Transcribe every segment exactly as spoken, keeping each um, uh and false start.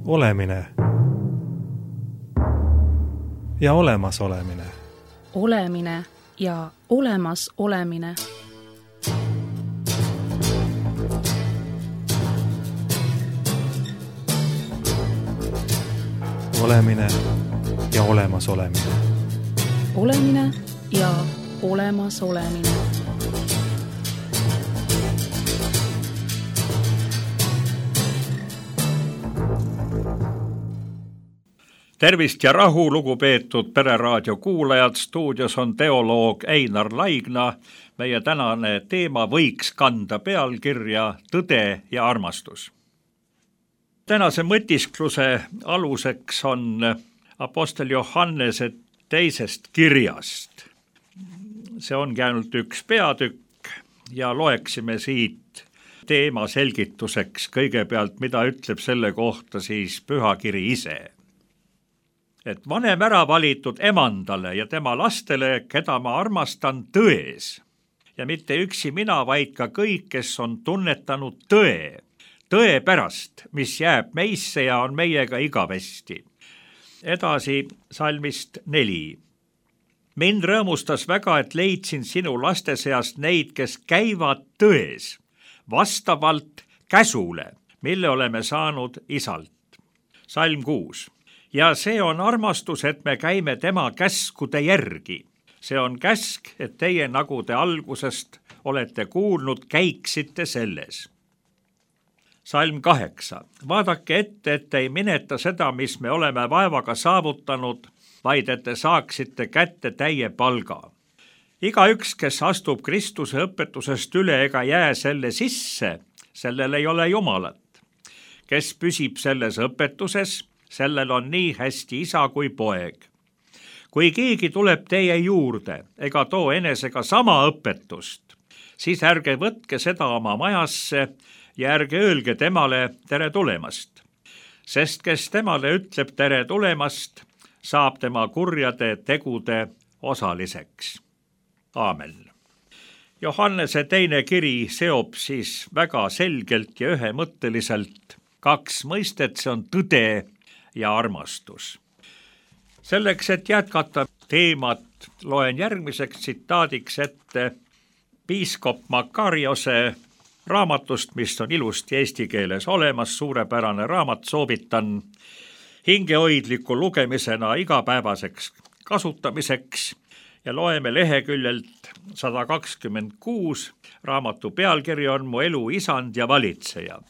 Olemine ja olemas olemine. Olemine ja olemas olemine. Olemine ja olemas olemine. Olemine ja olemas olemine. Tervist ja rahu, lugupeetud Pereraadio kuulajad, stuudios on teoloog Einar Laigna. Meie tänane teema võiks kanda pealkirja Tõde ja armastus. Tänase mõtiskluse aluseks on apostel Johannese teisest kirjast. See ongi ainult üks peatükk ja loeksime siit teema selgituseks kõigepealt, mida ütleb selle kohta siis pühakiri ise. Et vanem ära valitud emandale ja tema lastele, keda ma armastan tões. Ja mitte üksi mina, vaid ka kõik, kes on tunnetanud tõe. Tõe pärast, mis jääb meisse ja on meiega igavesti. Edasi salmist neli. Mind rõõmustas väga, et leidsin sinu laste seast neid, kes käivad tões, vastavalt käsule, mille oleme saanud isalt. Salm kuus. Ja see on armastus, et me käime tema käskude järgi. See on käsk, et teie, nagu te algusest olete kuulnud, käiksite selles. Salm kaheksa. Vaadake ette, et ei mineta seda, mis me oleme vaevaga saavutanud, vaid et te saaksite kätte täie palga. Iga üks, kes astub Kristuse õpetusest üle ega jää selle sisse, sellel ei ole Jumalat. Kes püsib selles õpetuses, sellel on nii hästi isa kui poeg. Kui keegi tuleb teie juurde ega too enesega sama õpetust, siis ärge võtke seda oma majasse ja ärge öelge temale tere tulemast. Sest kes temale ütleb tere tulemast, saab tema kurjade tegude osaliseks. Aamen. Johannese teine kiri seob siis väga selgelt ja ühemõtteliselt kaks mõistet, see on tõde ja armastus. Selleks, et jätkata teemat, loen järgmiseks tsitaadiks ette piiskop Makariose raamatust, mis on ilusti eesti keeles olemas, suurepärane raamat, soovitan hingehoidliku lugemisena igapäevaseks kasutamiseks ja loeme leheküljelt sada kakskümmend kuus, raamatu pealkiri on Mu elu isand ja valitseja.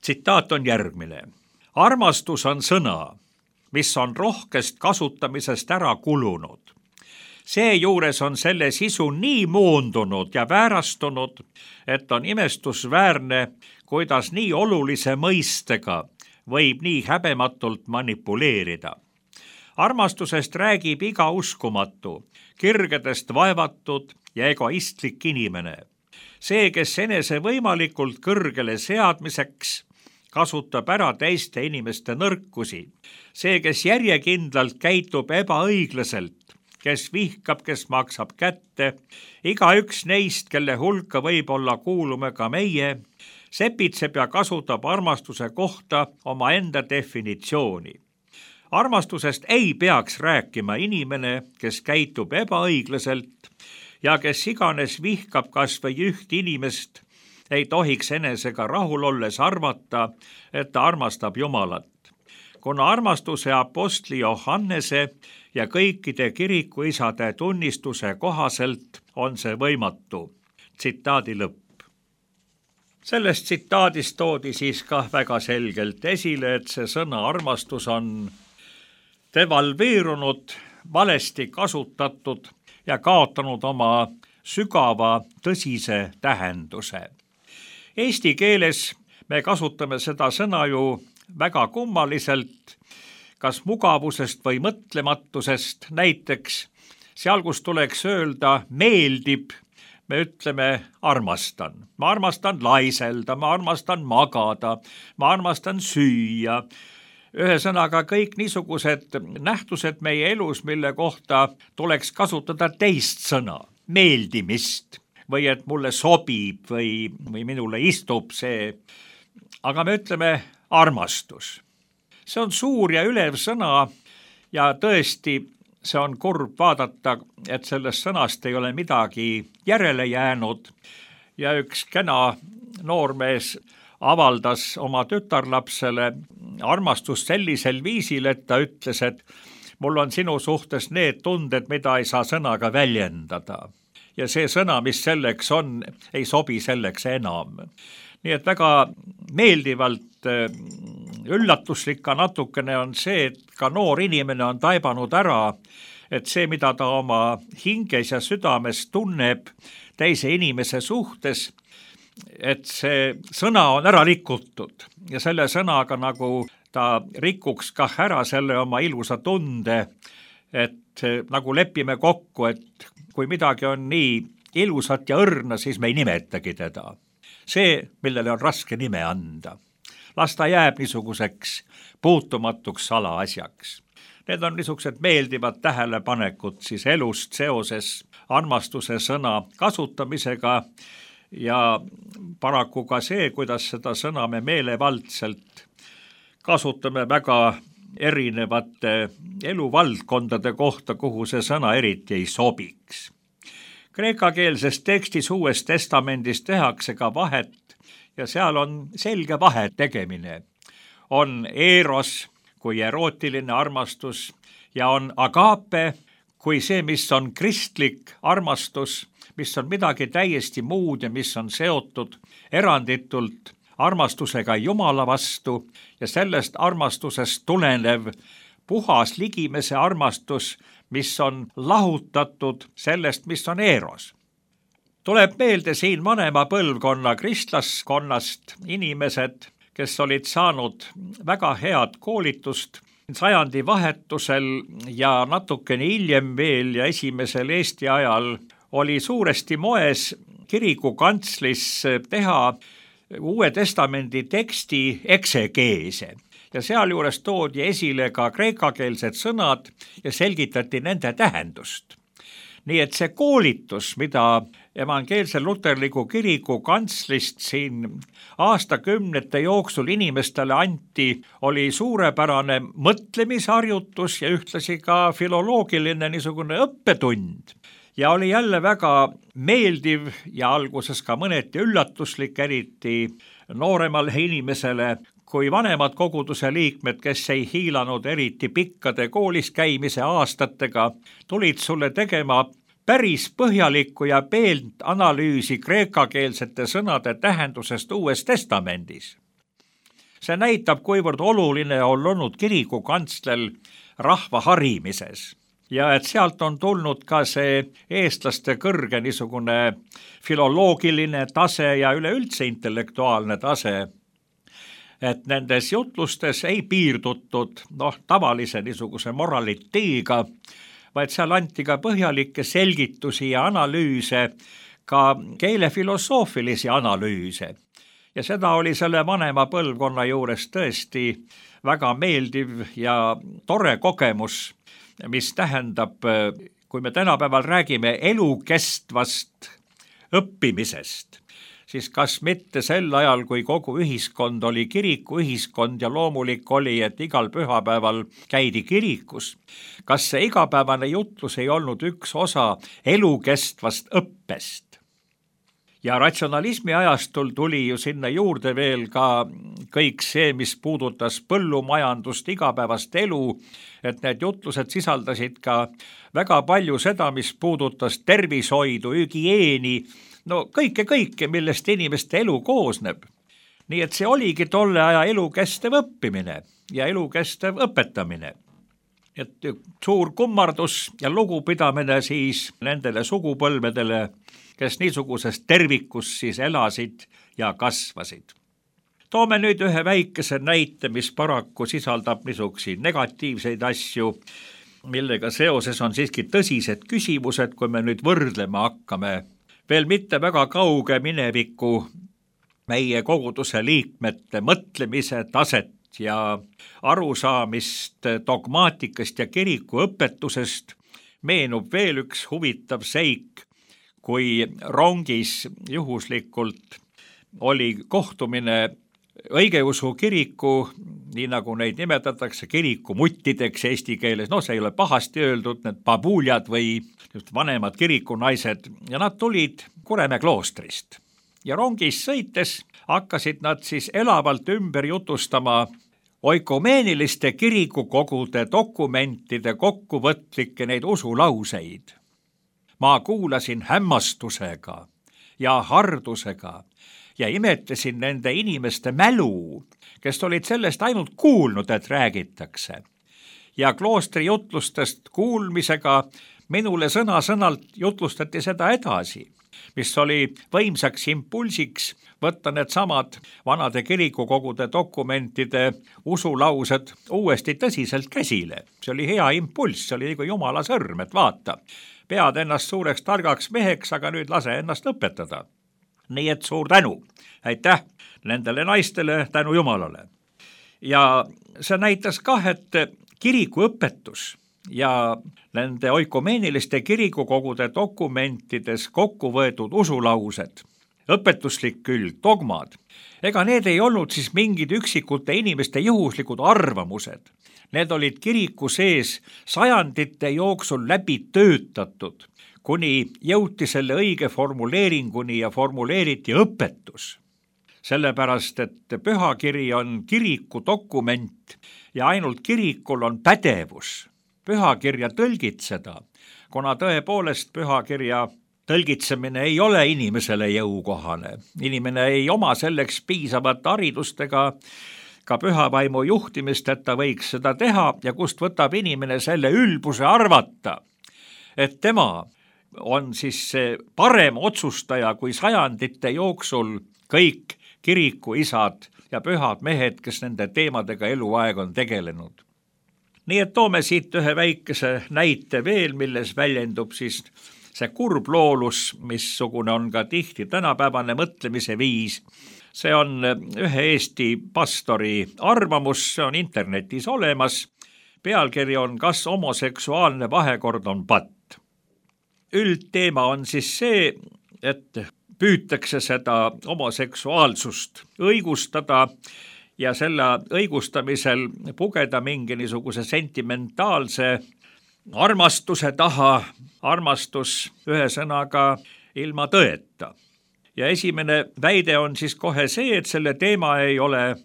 Tsitaat on järgmine. Armastus on sõna, mis on rohkest kasutamisest ära kulunud. Seejuures on selle sisu nii moondunud ja väärastunud, et on imestusväärne, kuidas nii olulise mõistega võib nii häbematult manipuleerida. Armastusest räägib iga uskumatu, kirgedest vaevatud ja egoistlik inimene. See, kes enese võimalikult kõrgele seadmiseks kasutab ära teiste inimeste nõrkusi. See, kes järjekindlalt käitub ebaõiglaselt, kes vihkab, kes maksab kätte, iga üks neist, kelle hulka võib olla kuulume ka meie, sepitseb ja kasutab armastuse kohta oma enda definitsiooni. Armastusest ei peaks rääkima inimene, kes käitub ebaõiglaselt ja kes iganes vihkab kas või üht inimest, ei tohiks enesega rahul olles arvata, et ta armastab Jumalat. Kuna armastuse apostli Johannese ja kõikide kirikuisade tunnistuse kohaselt on see võimatu. Tsitaadi lõpp. Sellest tsitaadist toodi siis ka väga selgelt esile, et see sõna armastus on devalveerunud, valesti kasutatud ja kaotanud oma sügava tõsise tähenduse. Eesti keeles me kasutame seda sõna ju väga kummaliselt, kas mugavusest või mõtlematusest, näiteks seal, kus tuleks öelda meeldib, me ütleme armastan. Ma armastan laiselda, ma armastan magada, ma armastan süüa. Ühesõnaga kõik niisugused nähtused meie elus, mille kohta tuleks kasutada teist sõna, meeldimist. Või et mulle sobib või, või minule istub see. Aga me ütleme armastus. See on suur ja ülev sõna ja tõesti, see on kurb vaadata, et sellest sõnast ei ole midagi järele jäänud ja üks kena noormees avaldas oma tütarlapsele armastust sellisel viisil, et ta ütles, et mul on sinu suhtes need tunded, mida ei saa sõnaga väljendada. Ja see sõna, mis selleks on, ei sobi selleks enam. Nii et väga meeldivalt üllatuslik ka natukene on see, et ka noor inimene on taibanud ära, et see, mida ta oma hinges ja südames tunneb teise inimese suhtes, et see sõna on ära rikutud ja selle sõnaga nagu ta rikuks kah ära selle oma ilusa tunde, et nagu lepime kokku, et kui midagi on nii ilusat ja õrna, siis me ei nimetagi teda. See, millele on raske nime anda. Las ta jääb niisuguseks puutumatuks salaasjaks. Need on niisugused meeldivad tähelepanekud siis elust seoses armastuse sõna kasutamisega ja paraku ka see, kuidas seda sõna me meelevaldselt kasutame väga erinevate eluvaldkondade kohta, kuhu see sõna eriti ei sobiks. Kreekakeelses tekstis Uues Testamendis tehakse ka vahet ja seal on selge vahet tegemine. On eros kui erootiline armastus ja on agape kui see, mis on kristlik armastus, mis on midagi täiesti muud ja mis on seotud eranditult armastusega Jumala vastu ja sellest armastusest tulenev puhas ligimese armastus, mis on lahutatud sellest, mis on eros. Tuleb meelde siin vanema põlvkonna kristlaskonnast inimesed, kes olid saanud väga head koolitust sajandi vahetusel ja natukene hiljem veel ja esimesel Eesti ajal oli suuresti moes kirikukantslis teha Uue Testamendi teksti eksegeese ja sealjuures toodi esile ka kreekakeelsed sõnad ja selgitati nende tähendust. Nii et see koolitus, mida evangeelsel luterliku kiriku kantslist siin aastakümnete jooksul inimestele anti, oli suurepärane mõtlemisharjutus ja ühtlasi ka filoloogiline niisugune õppetund. Ja oli jälle väga meeldiv ja alguses ka mõneti üllatuslik, eriti nooremale inimesele, kui vanemad koguduse liikmed, kes ei hiilanud eriti pikkade koolis käimise aastatega, tulid sulle tegema päris põhjalikku ja peelt analüüsi kreekakeelsete sõnade tähendusest Uues Testamendis. See näitab, kuivõrd oluline on olnud kirikukantsler rahva harimises. Ja et sealt on tulnud ka see eestlaste kõrge niisugune filoloogiline tase ja üleüldse intellektuaalne tase, et nendes jutlustes ei piirdutud noh, tavalise niisuguse moraliteega, vaid seal anti ka põhjalikke selgitusi ja analüüse, ka keelefilosoofilisi analüüse. Ja seda oli selle vanema põlvkonna juures tõesti väga meeldiv ja tore kogemus, mis tähendab, kui me tänapäeval räägime elukestvast õppimisest, siis kas mitte sel ajal, kui kogu ühiskond oli kirikuühiskond ja loomulik oli, et igal pühapäeval käidi kirikus, kas see igapäevane jutlus ei olnud üks osa elukestvast õppest? Ja ratsionalismi ajastul tuli ju sinna juurde veel ka kõik see, mis puudutas põllumajandust, igapäevast elu, et need jutlused sisaldasid ka väga palju seda, mis puudutas tervishoidu, hügieeni, no kõike kõike, millest inimeste elu koosneb. Nii et see oligi tolle aja elukestev õppimine ja elukestev õpetamine. Et suur kummardus ja lugupidamine siis nendele sugupõlvedele, kes niisuguses tervikus siis elasid ja kasvasid. Toome nüüd ühe väikese näite, mis paraku sisaldab niisuguseid negatiivseid asju, millega seoses on siiski tõsised küsimused, kui me nüüd võrdlema hakkame veel mitte väga kauge mineviku meie koguduse liikmete mõtlemise taset ja arusaamist dogmaatikast ja kiriku õpetusest, meenub veel üks huvitav seik, kui rongis juhuslikult oli kohtumine õigeusu kiriku, nii nagu neid nimetatakse, kirikumuttideks eesti keeles, no see ei ole pahasti öeldud, need babuljad või vanemad kirikunaised, ja nad tulid Kuremäe kloostrist. Ja rongis sõites hakkasid nad siis elavalt ümber jutustama oikumeeniliste kirikukogude dokumentide kokkuvõtlikke neid usulauseid. Ma kuulasin hämmastusega ja hardusega ja imetasin nende inimeste mälu, kes olid sellest ainult kuulnud, et räägitakse. Ja kloostri jutlustest kuulmisega minule sõna-sõnalt jutlustati seda edasi, mis oli võimsaks impulsiks võtta need samad vanade kirikukogude dokumentide usulaused uuesti tõsiselt käsile. See oli hea impulss, see oli nagu Jumala sõrm, et vaata, pead ennast suureks targaks meheks, aga nüüd lase ennast õpetada. Nii et suur tänu, aitäh nendele naistele, tänu Jumalale. Ja see näitas kah, et kirikuõpetus ja nende oikumeeniliste kirikukogude dokumentides kokku võetud usulaused, õpetuslik külg, dogmad, ega need ei olnud siis mingid üksikute inimeste juhuslikud arvamused. Need olid kiriku sees sajandite jooksul läbi töötatud, kuni jõuti selle õige formuleeringuni ja formuleeriti õpetus. Sellepärast, et pühakiri on kiriku dokument ja ainult kirikul on pädevus pühakirja tõlgitseda, kuna tõepoolest pühakirja tõlgitsemine ei ole inimesele jõukohane. Inimene ei oma selleks piisavat haridustega ka pühavaimu juhtimist, et ta võiks seda teha ja kust võtab inimene selle ülbuse arvata, et tema on siis see parem otsustaja kui sajandite jooksul kõik kirikuisad ja pühad mehed, kes nende teemadega eluaeg on tegelenud. Nii et toome siit ühe väikese näite veel, milles väljendub siis see kurbloolus, missugune on ka tihti tänapäevane mõtlemise viis. See on ühe Eesti pastori arvamus, see on internetis olemas. Pealkiri on Kas homoseksuaalne vahekord on patt. Üldteema on siis see, et püütakse seda homoseksuaalsust õigustada ja selle õigustamisel pugeda mingi niisuguse sentimentaalse armastuse taha, armastus ühe sõnaga ilma tõeta. Ja esimene väide on siis kohe see, et selle teema ei ole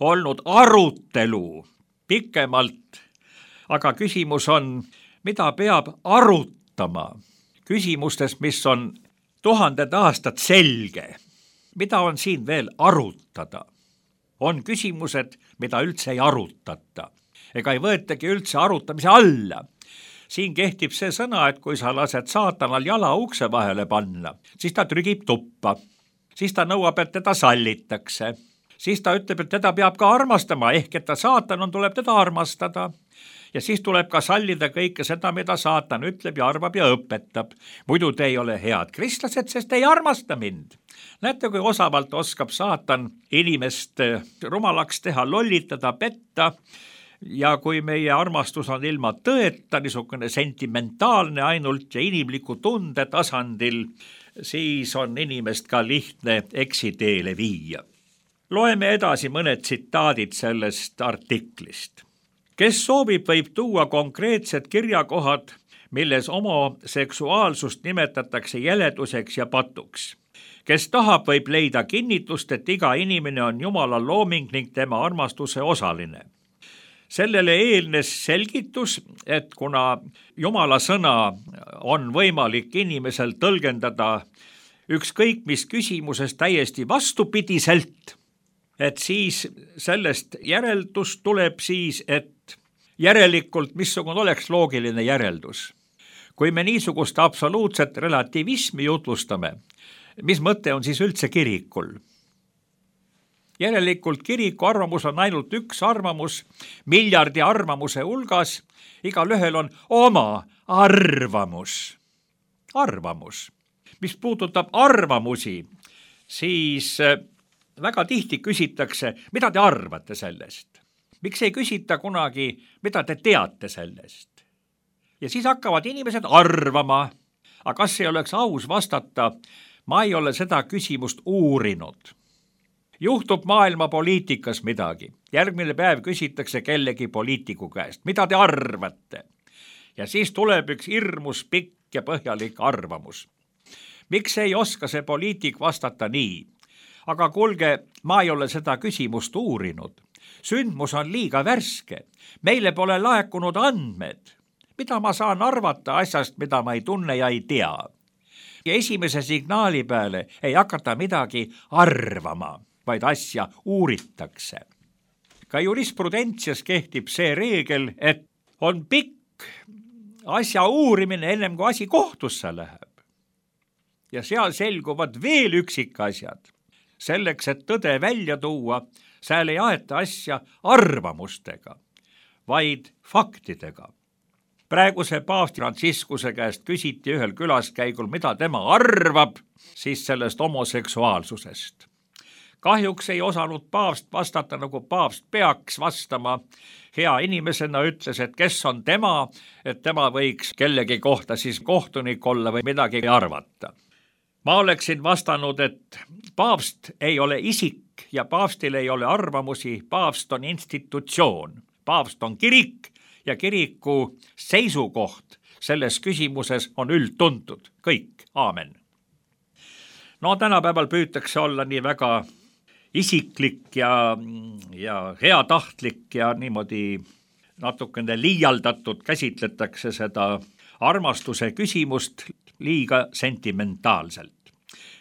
olnud arutelu pikemalt, aga küsimus on, mida peab arutama küsimustes, mis on tuhanded aastad selge. Mida on siin veel arutada? On küsimused, mida üldse ei arutata, ega ei võetagi üldse arutamise alla. Siin kehtib see sõna, et kui sa lased saatanal jala ukse vahele panna, siis ta trügib tuppa, siis ta nõuab, et teda sallitakse, siis ta ütleb, et teda peab ka armastama, ehk et ta saatan on, tuleb teda armastada. Ja siis tuleb ka sallida kõike seda, mida saatan ütleb ja arvab ja õpetab. Muidu te ei ole head kristlased, sest ei armasta mind. Näete, kui osavalt oskab saatan inimest rumalaks teha, lollitada, petta. Ja kui meie armastus on ilma tõeta, niisugune sentimentaalne ainult ja inimliku tunde tasandil, siis on inimest ka lihtne eksiteele viia. Loeme edasi mõned tsitaadid sellest artiklist. Kes soovib, võib tuua konkreetsed kirjakohad, milles homoseksuaalsust nimetatakse jäleduseks ja patuks. Kes tahab, võib leida kinnitust, et iga inimene on Jumala looming ning tema armastuse osaline. Sellele eelnes selgitus, et kuna Jumala sõna on võimalik inimesel tõlgendada ükskõik mis küsimuses täiesti vastupidiselt, et siis sellest järeldus tuleb siis, et järelikult missugune oleks loogiline järeldus. Kui me niisugust absoluutset relativismi jutlustame, mis mõte on siis üldse kirikul? Järelikult kiriku arvamus on ainult üks arvamus, miljardi arvamuse hulgas, igal ühel on oma arvamus. Arvamus. Mis puudutab arvamusi, siis väga tihti küsitakse, mida te arvate sellest? Miks ei küsita kunagi, mida te teate sellest? Ja siis hakkavad inimesed arvama, aga kas ei oleks aus vastata, ma ei ole seda küsimust uurinud. juhtub maailma poliitikas midagi. Järgmine päev küsitakse kellegi poliitiku käest, mida te arvate? Ja siis tuleb üks hirmus pikk ja põhjalik arvamus. Miks ei oska see poliitik vastata nii? Aga kuulge, ma ei ole seda küsimust uurinud. Sündmus on liiga värske. Meile pole laekunud andmed. Mida ma saan arvata asjast, mida ma ei tunne ja ei tea? Ja esimese signaali peale ei hakata midagi arvama, vaid asja uuritakse. Ka jurisprudentsias kehtib see reegel, et on pikk asja uurimine ennem kui asi kohtusse läheb. Ja seal selguvad veel üksikasjad. Selleks, et tõde välja tuua, seal ei aeta asja arvamustega, vaid faktidega. Praeguse paavsti Franciscuse käest küsiti ühel külaskäigul, mida tema arvab siis sellest homoseksuaalsusest. Kahjuks ei osanud paavst vastata, nagu paavst peaks vastama. Hea inimesena ütles, et kes on tema, et tema võiks kellegi kohta siis kohtunik olla või midagi arvata. Ma oleksin vastanud, et paavst ei ole isik ja paavstil ei ole arvamusi, paavst on institutsioon, paavst on kirik ja kiriku seisukoht selles küsimuses on üldtuntud. Kõik, aamen. No tänapäeval püütakse olla nii väga isiklik ja, ja heatahtlik ja niimoodi natukene liialdatud käsitletakse seda armastuse küsimust liiga sentimentaalselt.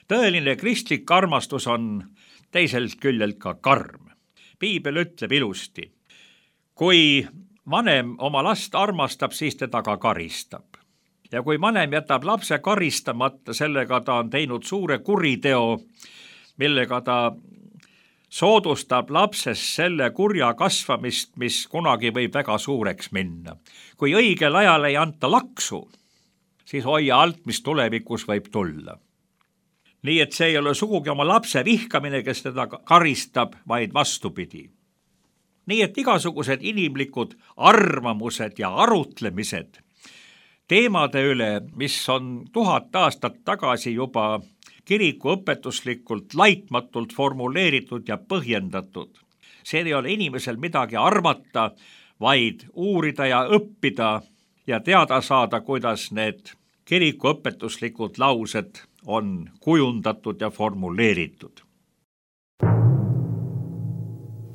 Tõeline kristlik armastus on teiselt küljelt ka karm. Piibel ütleb ilusti, kui vanem oma last armastab, siis teda ka karistab. Ja kui vanem jätab lapse karistamata, sellega ta on teinud suure kuriteo, millega ta soodustab lapses selle kurja kasvamist, mis kunagi võib väga suureks minna. Kui õigel ajal ei anta laksu, siis hoia alt, mis tulevikus võib tulla. Nii et see ei ole sugugi oma lapse vihkamine, kes teda karistab, vaid vastupidi. Nii et igasugused inimlikud arvamused ja arutlemised teemade üle, mis on tuhat aastat tagasi juba kiriku õpetuslikult laitmatult formuleeritud ja põhjendatud. See ei ole inimesel midagi arvata, vaid uurida ja õppida ja teada saada, kuidas need kiriku õpetuslikud laused on kujundatud ja formuleeritud.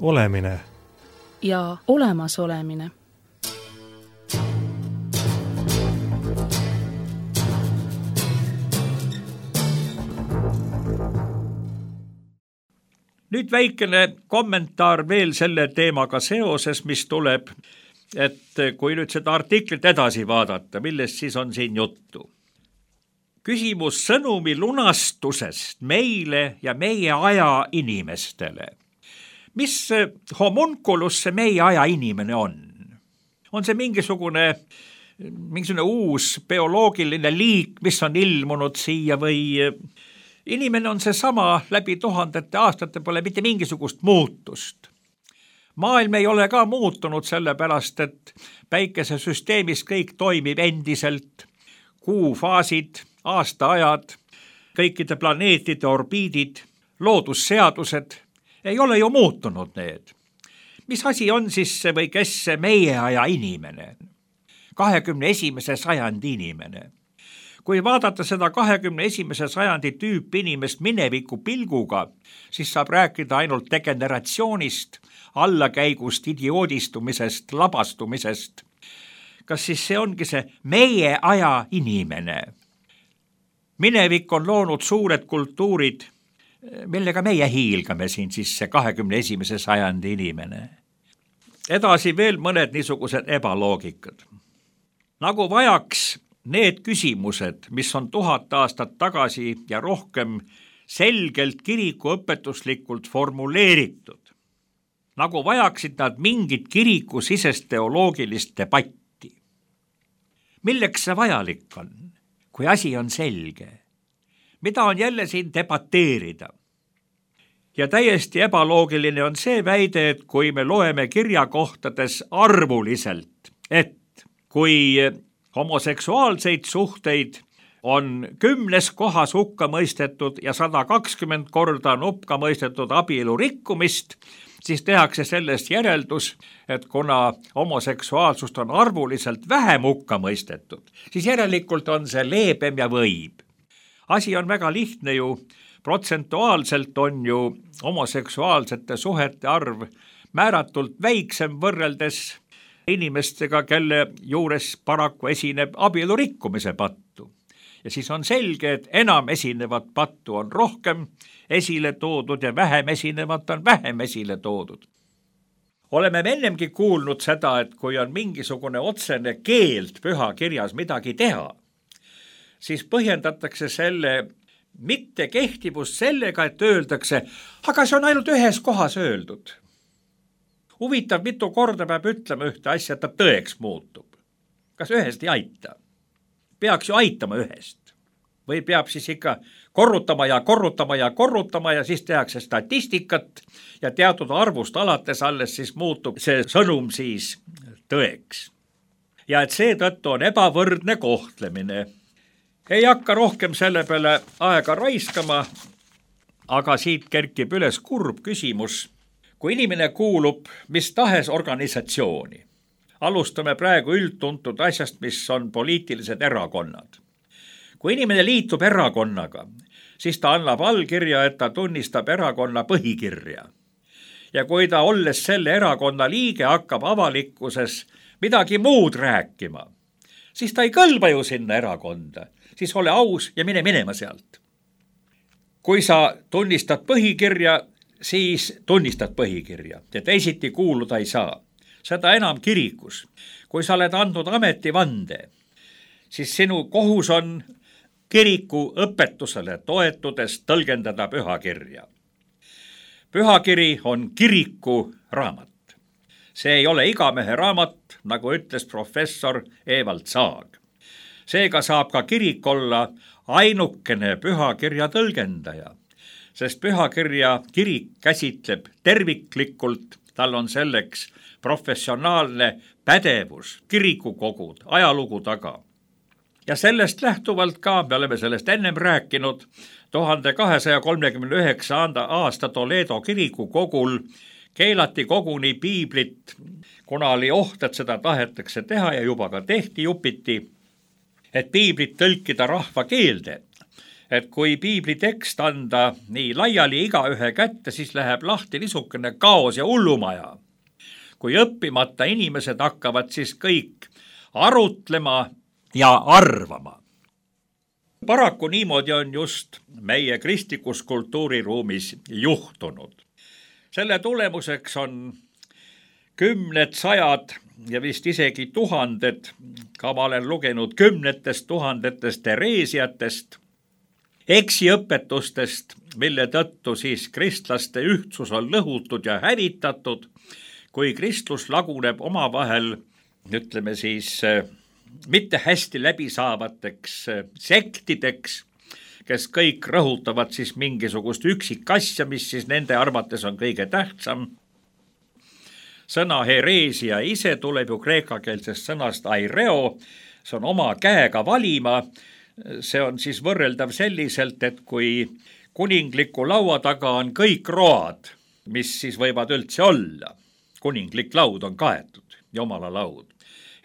Olemine ja olemasolemine. Nüüd väikene kommentaar veel selle teemaga seoses, mis tuleb, et kui nüüd seda artiklit edasi vaadata, millest siis on siin juttu. Küsimus sõnumi lunastusest meile ja meie aja inimestele. Mis homunculus see meie aja inimene on? On see mingisugune, mingisugune uus bioloogiline liik, mis on ilmunud siia või inimene on see sama läbi tuhandete aastate, pole mitte mingisugust muutust. Maailm ei ole ka muutunud sellepärast, et päikesesüsteemis kõik toimib endiselt, kuufaasid, aastaajad, kõikide planeetide orbiidid, loodusseadused, ei ole ju muutunud need. Mis asi on siis see või kes see meie aja inimene? kahekümne esimese sajandi inimene. Kui vaadata seda kahekümne esimese sajandi tüüp inimest mineviku pilguga, siis saab rääkida ainult degeneratsioonist, allakäigust, idioodistumisest, labastumisest. Kas siis see ongi see meie aja inimene? Minevik on loonud suured kultuurid, millega meie hiilgame siin siis see kahekümne esimese sajandi inimene. Edasi veel mõned niisugused ebaloogikad. Nagu vajaks need küsimused, mis on tuhat aastat tagasi ja rohkem selgelt kiriku õpetuslikult formuleeritud. Nagu vajaksid nad mingit kiriku sisest teoloogilist debatti. Milleks see vajalik on, kui asi on selge? Mida on jälle siin debateerida? Ja täiesti ebaloogiline on see väide, et kui me loeme kirjakohtades arvuliselt, et kui homoseksuaalseid suhteid on kümnes kohas hukka mõistetud ja sada kakskümmend korda on hukka mõistetud abielu rikkumist, siis tehakse sellest järeldus, et kuna homoseksuaalsust on arvuliselt vähem hukka mõistetud, siis järelikult on see leebem ja võib. Asi on väga lihtne ju, protsentuaalselt on ju homoseksuaalsete suhete arv määratult väiksem võrreldes inimestega, kelle juures paraku esineb abielu rikkumise pattu. Ja siis on selge, et enam esinevat pattu on rohkem esile toodud ja vähem esinevat on vähem esile toodud. Oleme ennemgi kuulnud seda, et kui on mingisugune otsene keeld pühakirjas midagi teha, siis põhjendatakse selle mittekehtivust sellega, et öeldakse, aga see on ainult ühes kohas öeldud. Huvitav, mitu korda peab ütlema ühte asja, et ta tõeks muutub. Kas ühest ei aita? Peaks ju aitama ühest. Või peab siis ikka korrutama ja korrutama ja korrutama ja siis tehakse statistikat ja teatud arvust alates alles siis muutub see sõnum siis tõeks. Ja et seetõttu on ebavõrdne kohtlemine. Ei hakka rohkem selle peale aega raiskama, aga siit kerkib üles kurb küsimus. Kui inimene kuulub mis tahes organisatsiooni, alustame praegu üldtuntud asjast, mis on poliitilised erakonnad. Kui inimene liitub erakonnaga, siis ta annab allkirja, et ta tunnistab erakonna põhikirja. Ja kui ta olles selle erakonna liige hakkab avalikkuses midagi muud rääkima, siis ta ei kõlba ju sinna erakonda, siis ole aus ja mine minema sealt. Kui sa tunnistad põhikirja, siis tunnistad põhikirja ja teisiti kuuluda ei saa. Seda enam kirikus. Kui sa oled andnud ametivande, siis sinu kohus on kiriku õpetusele toetudes tõlgendada pühakirja. Pühakiri on kiriku raamat. See ei ole igamehe raamat, nagu ütles professor Evald Saag. Seega saab ka kirik olla ainukene pühakirja tõlgendaja. Sest pühakirja kirik käsitleb terviklikult, tal on selleks professionaalne pädevus, kirikukogud, ajalugu taga. Ja sellest lähtuvalt ka, me oleme sellest ennem rääkinud, tuhande kahesaja kolmekümne üheksanda aasta Toledo kirikukogul keelati koguni piiblit, kuna oli oht, et seda tahetakse teha ja juba ka tehti jupiti, et piiblit tõlkida rahva keelde. Et kui piibli tekst anda nii laiali igaühe kätte, siis läheb lahti niisugune kaos ja hullumaja. Kui õppimata inimesed hakkavad siis kõik arutlema ja arvama. Paraku niimoodi on just meie kristlikus kultuuriruumis juhtunud. Selle tulemuseks on kümned, sajad ja vist isegi tuhanded, ka ma olen lugenud kümnetest tuhandetest Tereesiatest, eksiõpetustest, mille tõttu siis kristlaste ühtsus on lõhutud ja hävitatud, kui kristlus laguneb omavahel, ütleme siis, mitte hästi läbisaavateks sektideks, kes kõik rõhutavad siis mingisugust üksikasja, mis siis nende arvates on kõige tähtsam. Sõna hereesia ise tuleb ju kreekakeelsest sõnast aireo, see on oma käega valima. See on siis võrreldav selliselt, et kui kuningliku laua taga on kõik road, mis siis võivad üldse olla. Kuninglik laud on kaetud, jumala laud.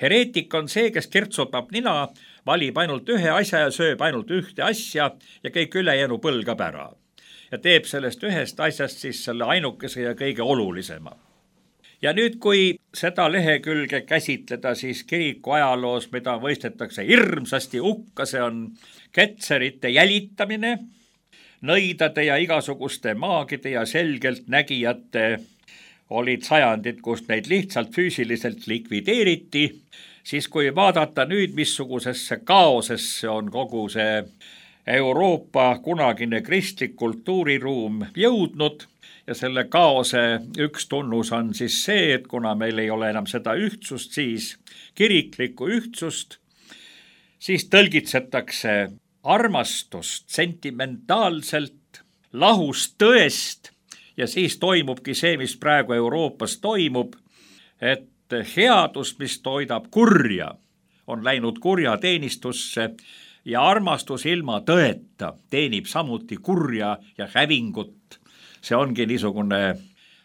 Hereetik on see, kes kirtsutab nina, valib ainult ühe asja ja sööb ainult ühte asja ja kõik ülejäänu põlgab ära. Ja teeb sellest ühest asjast siis selle ainukese ja kõige olulisema. Ja nüüd, kui seda lehekülge käsitleda, siis kiriku ajaloos, mida võistetakse hirmsasti hukka, see on ketserite jälitamine, nõidade ja igasuguste maagide ja selgelt nägijate olid sajandid, kus neid lihtsalt füüsiliselt likvideeriti, siis kui vaadata nüüd, missugusesse kaosesse on kogu see Euroopa kunagine kristlik kultuuriruum jõudnud, ja selle kaose üks tunnus on siis see, et kuna meil ei ole enam seda ühtsust, siis kiriklikku ühtsust, siis tõlgitsetakse armastust sentimentaalselt, lahus tõest ja siis toimubki see, mis praegu Euroopas toimub, et headus, mis toidab kurja, on läinud kurja teenistusse ja armastus ilma tõeta teenib samuti kurja ja hävingut. See ongi niisugune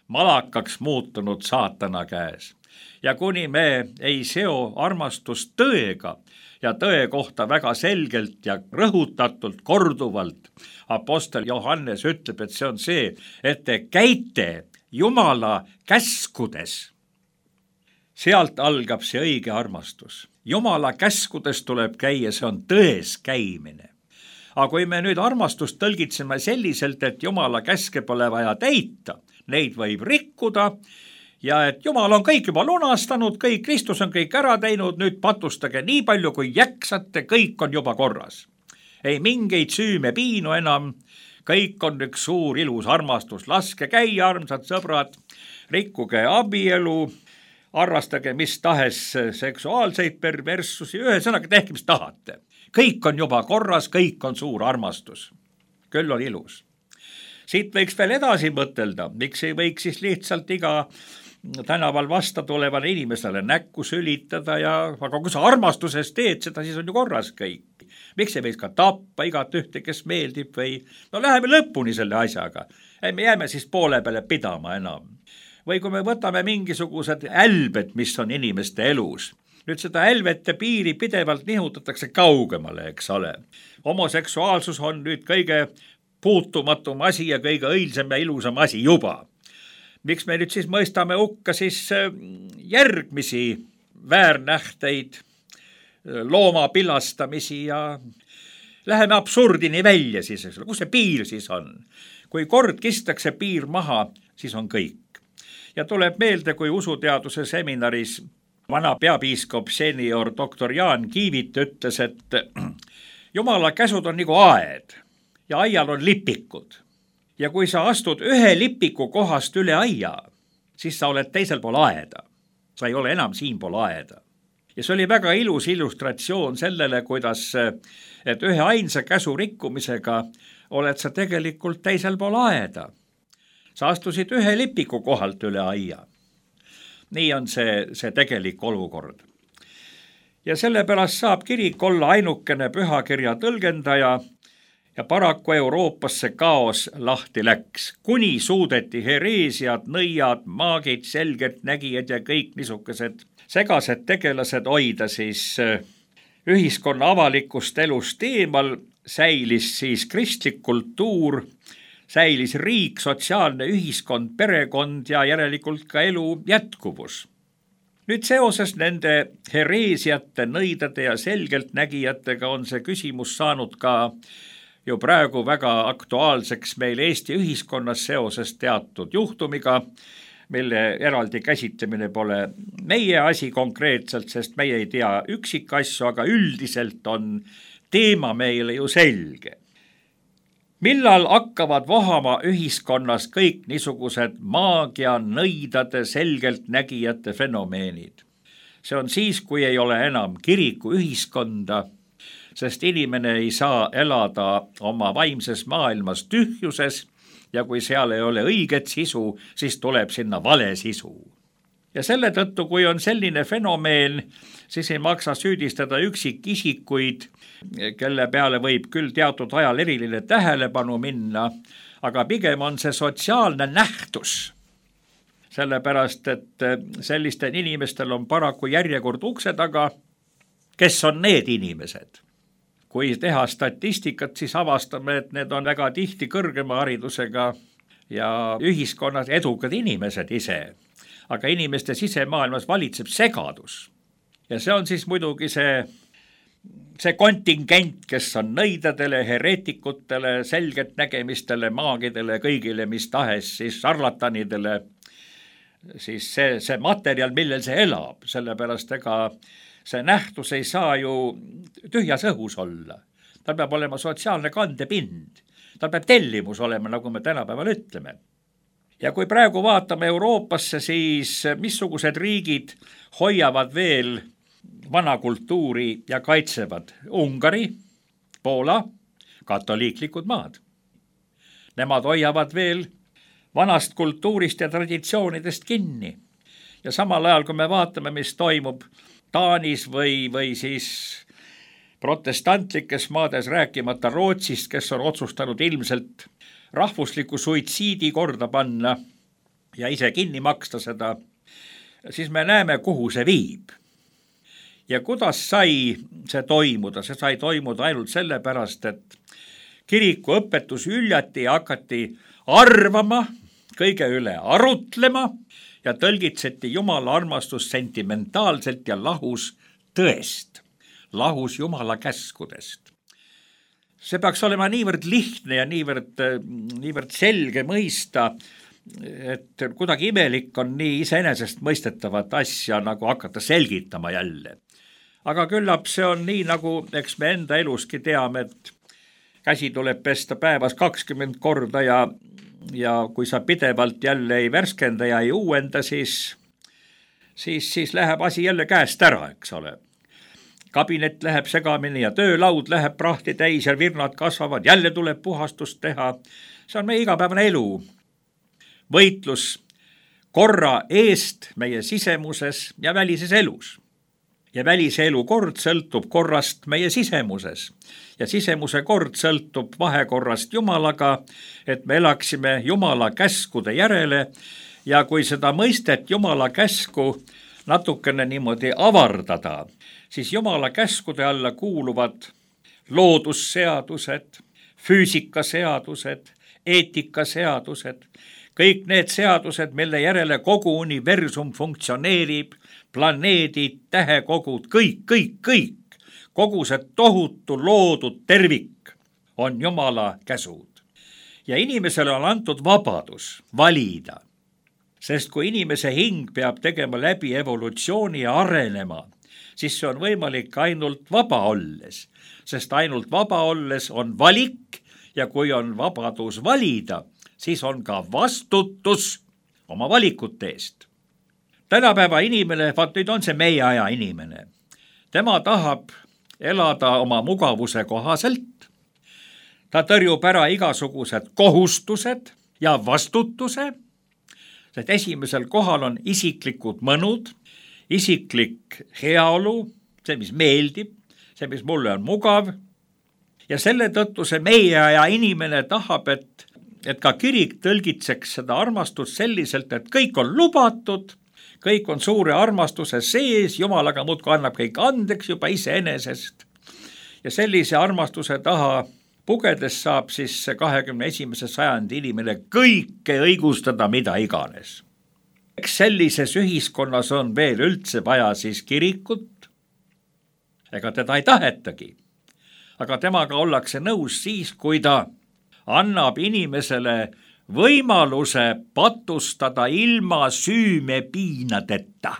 malakaks muutunud saatana käes. Ja kuni me ei seo armastust tõega ja tõe kohta väga selgelt ja rõhutatult korduvalt, apostel Johannes ütleb, et see on see, et te käite Jumala käskudes. Sealt algab see õige armastus. Jumala käskudes tuleb käia, see on tões käimine. Aga kui me nüüd armastust tõlgitseme selliselt, et Jumala käske pole vaja täita, neid võib rikkuda ja et Jumal on kõik juba lunastanud, kõik Kristus on kõik ära teinud, nüüd patustage nii palju kui jäksate, kõik on juba korras. Ei mingeid süüme piinu enam, kõik on üks suur ilus armastus, laske käia, armsad sõbrad, rikkuge abielu, arvastage mis tahes seksuaalseid perverssusi, ühesõnaga tehke mis tahate. Kõik on juba korras, kõik on suur armastus. Küll on ilus. Siit võiks veel edasi mõtelda, miks ei võiks siis lihtsalt iga tänaval vasta tulevale inimesele näkku sülitada ja aga kui sa armastuses teed seda, siis on ju korras kõik. Miks ei võiks ka tappa igat ühte, kes meeldib või no läheme lõpuni selle asjaga. Ei, me jääme siis poole peale pidama enam. Või kui me võtame mingisugused älbed, mis on inimeste elus. Nüüd seda älvete piiri pidevalt nihutatakse kaugemale, eks ole. Homoseksuaalsus on nüüd kõige puutumatum asi ja kõige õilsem ja ilusam asi juba. Miks me nüüd siis mõistame hukka siis järgmisi väärnähteid, looma pilastamisi ja läheme absurdini välja siis, eks ole. Kus see piir siis on? Kui kord kistakse piir maha, siis on kõik. Ja tuleb meelde, kui usuteaduse seminaris vana peapiiskop senior doktor Jaan Kiivit ütles, et Jumala käsud on nagu aed ja aial on lipikud. Ja kui sa astud ühe lipiku kohast üle aia, siis sa oled teisel pool aeda. Sa ei ole enam siin pool aeda. Ja see oli väga ilus illustratsioon sellele, kuidas, et ühe ainsa käsu rikkumisega oled sa tegelikult teisel pool aeda. Sa astusid ühe lipiku kohalt üle aia. Nii on see, see tegelik olukord. Ja sellepärast saab kirik olla ainukene pühakirja tõlgendaja ja paraku Euroopasse kaos lahti läks. Kuni suudeti hereesiad, nõiad, maagid, selgelt nägijad ja kõik niisugused segased tegelased hoida siis ühiskonna avalikust elust eemal, säilis siis kristlik kultuur, säilis riik, sotsiaalne ühiskond, perekond ja järelikult ka elu jätkuvus. Nüüd seoses nende hereesiate, nõidade ja selgelt nägijatega on see küsimus saanud ka ju praegu väga aktuaalseks meil Eesti ühiskonnas seoses teatud juhtumiga, mille eraldi käsitlemine pole meie asi konkreetselt, sest meie ei tea üksikasju, aga üldiselt on teema meile ju selge. Millal hakkavad vohama ühiskonnas kõik niisugused maagia, nõidade, selgelt nägijate fenomeenid? See on siis, kui ei ole enam kiriku ühiskonda, sest inimene ei saa elada oma vaimses maailmas tühjuses ja kui seal ei ole õiget sisu, siis tuleb sinna vale sisu. Ja selle tõttu, kui on selline fenomeen, siis ei maksa süüdistada üksikisikuid, kelle peale võib küll teatud ajal eriline tähelepanu minna, aga pigem on see sotsiaalne nähtus. Sellepärast, et sellistel inimestel on paraku järjekord ukse taga, kes on need inimesed. Kui teha statistikat, siis avastame, et need on väga tihti kõrgema haridusega ja ühiskonnas edukad inimesed ise. Aga inimeste sisemaailmas valitseb segadus. Ja see on siis muidugi see, see kontingent, kes on nõidadele, hereetikutele, selget nägemistele, maagidele, kõigile mis tahes, siis šarlatanidele, siis see, see materjal, millel see elab, sellepärast ega see nähtus ei saa ju tühjas õhus olla. Tal peab olema sotsiaalne kandepind. Tal peab tellimus olema, nagu me tänapäeval ütleme. Ja kui praegu vaatame Euroopasse, siis missugused riigid hoiavad veel vana kultuuri ja kaitsevad? Ungari, Poola, katoliiklikud maad. Nemad hoiavad veel vanast kultuurist ja traditsioonidest kinni. Ja samal ajal, kui me vaatame, mis toimub Taanis või, või siis protestantlikes maades, rääkimata Rootsist, kes on otsustanud ilmselt rahvusliku suitsiidi korda panna ja ise kinni maksta seda, siis me näeme, kuhu see viib. Ja kuidas sai see toimuda? See sai toimuda ainult sellepärast, et kiriku õpetus üljati ja hakati arvama, kõige üle arutlema ja tõlgitseti Jumala armastust sentimentaalselt ja lahus tõest, lahus Jumala käskudest. See peaks olema niivõrd lihtne ja niivõrd, niivõrd selge mõista, et kuidagi imelik on nii iseenesest mõistetavat asja nagu hakata selgitama jälle. Aga küllap see on nii, nagu eks me enda eluski teame, et käsi tuleb pesta päevas kakskümmend korda ja, ja kui sa pidevalt jälle ei värskenda ja ei uuenda, siis, siis, siis läheb asi jälle käest ära, eks ole. Kabinet läheb segamini ja töölaud läheb prahti täis ja virnad kasvavad, jälle tuleb puhastust teha. See on meie igapäevane elu. Võitlus korra eest meie sisemuses ja välises elus. Ja välise elu kord sõltub korrast meie sisemuses. Ja sisemuse kord sõltub vahekorrast Jumalaga, et me elaksime Jumala käskude järele. Ja kui seda mõistet Jumala käsku natukene niimoodi avardada, siis Jumala käskude alla kuuluvad loodusseadused, füüsikaseadused, eetikaseadused, kõik need seadused, mille järele kogu universum funktsioneerib, planeedid, tähekogud, kõik, kõik, kõik, kogu see tohutu loodud tervik on Jumala käsud. Ja inimesele on antud vabadus valida, sest kui inimese hing peab tegema läbi evolutsiooni ja arenema, siis see on võimalik ainult vaba olles, sest ainult vaba olles on valik ja kui on vabadus valida, siis on ka vastutus oma valikute eest. Tänapäeva inimene, vaat nüüd on see meie aja inimene, tema tahab elada oma mugavuse kohaselt, ta tõrjub ära igasugused kohustused ja vastutuse, sest esimesel kohal on isiklikud mõnud, isiklik heaolu, see, mis meeldib, see, mis mulle on mugav. Ja selle tõttu see meie aja inimene tahab, et, et ka kirik tõlgitseks seda armastust selliselt, et kõik on lubatud, kõik on suure armastuse sees, Jumalaga muudkui annab kõik andeks juba iseenesest. Ja sellise armastuse taha pugedes saab siis kahekümne esimese sajandi inimene kõike õigustada, mida iganes. Eks sellises ühiskonnas on veel üldse vaja siis kirikut, ega teda ei tahetagi, aga temaga ollakse nõus siis, kui ta annab inimesele võimaluse patustada ilma süümepiinadeta.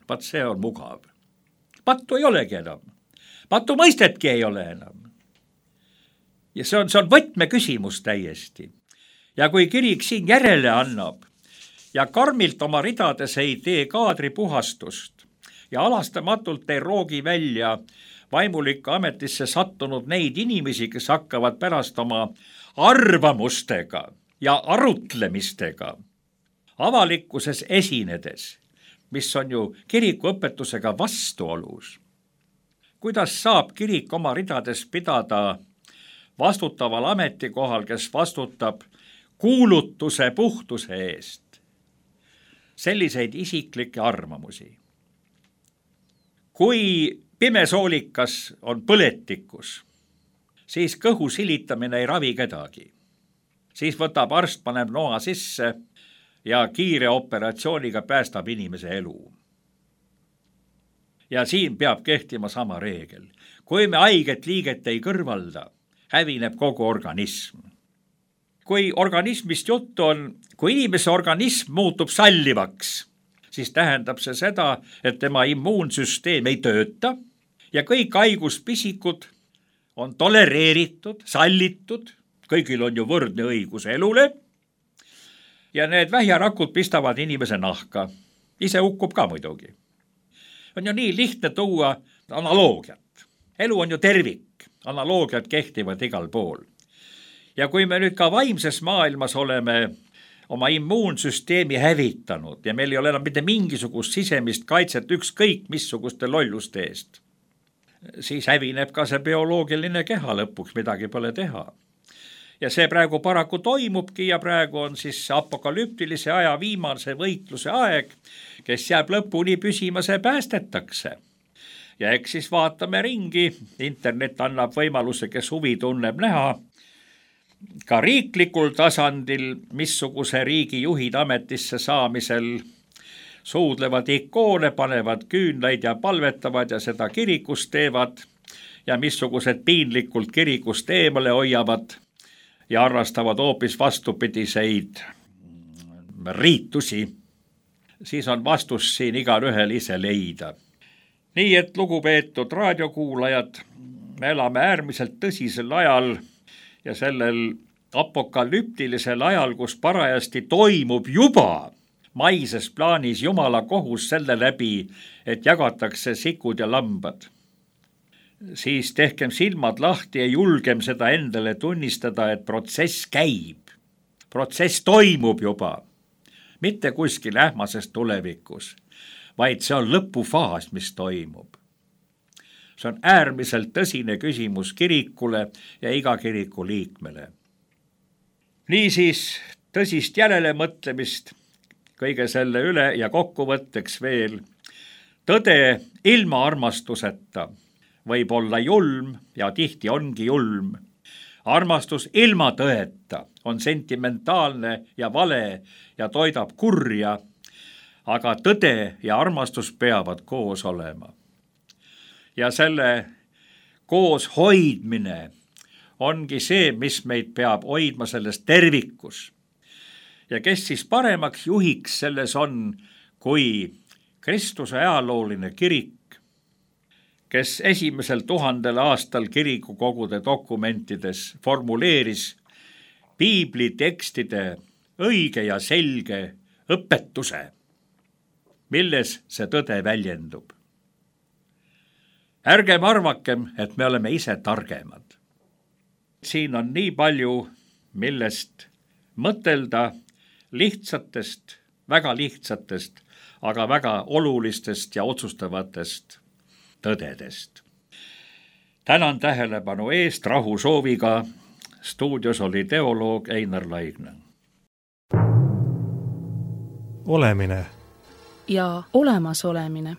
Vaat see on mugav. Pattu ei olegi enam. Pattu mõistetki ei ole enam. Ja see on, see on võtmeküsimus täiesti. Ja kui kirik siin järele annab ja karmilt oma ridades ei tee kaadri puhastust ja alastamatult ei roogi välja vaimulikku ametisse sattunud neid inimesi, kes hakkavad pärast oma arvamustega ja arutlemistega avalikkuses esinedes, mis on ju kiriku õpetusega vastuolus. Kuidas saab kirik oma ridades pidada vastutaval ametikohal, kes vastutab kuulutuse puhtuse eest, selliseid isiklikke arvamusi? Kui pimesoolikas on põletikus, siis kõhu silitamine ei ravi kedagi. Siis võtab arst, paneb noa sisse ja kiire operatsiooniga päästab inimese elu. Ja siin peab kehtima sama reegel. Kui me haiget liiget ei kõrvalda, hävineb kogu organism. Kui organismist juttu on, kui inimese organism muutub sallivaks, siis tähendab see seda, et tema immuunsüsteem ei tööta ja kõik haiguspisikud on tolereeritud, sallitud, kõigil on ju võrdne õigus elule ja need vähjarakud pistavad inimese nahka. Ise hukkub ka muidugi. On ju nii lihtne tuua analoogiat. Elu on ju tervik, analoogiad kehtivad igal pool. Ja kui me nüüd ka vaimses maailmas oleme oma immuunsüsteemi hävitanud ja meil ei ole enam mitte mingisugust sisemist kaitset ükskõik missuguste lolluste eest, siis hävineb ka see bioloogiline keha lõpuks, midagi pole teha. Ja see praegu paraku toimubki ja praegu on siis apokalüptilise aja viimase võitluse aeg, kes jääb lõpuni püsima, see päästetakse. Ja eks siis vaatame ringi, internet annab võimaluse, kes huvi tunneb näha, ka riiklikul tasandil, missuguse riigi juhid ametisse saamisel suudlevad ikoone, panevad küünlaid ja palvetavad ja seda kirikus teevad ja missugused piinlikult kirikust eemale hoiavad ja arvastavad hoopis vastupidiseid riitusi, siis on vastus siin igalühel ise leida. Nii et lugupeetud raadiokuulajad, me elame äärmiselt tõsisel ajal ja sellel apokalüptilisel ajal, kus parajasti toimub juba maises plaanis Jumala kohus selle läbi, et jagatakse sikud ja lambad. Siis tehkem silmad lahti ja julgem seda endale tunnistada, et protsess käib. Protsess toimub juba, mitte kuskil ähmases tulevikus, vaid see on lõpufaas, mis toimub. See on äärmiselt tõsine küsimus kirikule ja iga kiriku liikmele. Niisiis tõsist järelemõtlemist kõige selle üle ja kokkuvõtteks veel. Tõde ilma armastuseta võib olla julm ja tihti ongi julm. Armastus ilma tõeta on sentimentaalne ja vale ja toidab kurja, aga tõde ja armastus peavad koos olema. Ja selle koos hoidmine ongi see, mis meid peab hoidma selles tervikus. Ja kes siis paremaks juhiks selles on, kui Kristuse ajalooline kirik, kes esimesel tuhandel aastal kirikukogude dokumentides formuleeris piibli tekstide õige ja selge õpetuse, milles see tõde väljendub. Ärgem arvakem, et me oleme ise targemad. Siin on nii palju, millest mõtelda lihtsatest, väga lihtsatest, aga väga olulistest ja otsustavatest tõdedest. Tänan tähelepanu eest, rahu sooviga. Stuudios oli teoloog Einar Laigna. Olemine ja olemasolemine.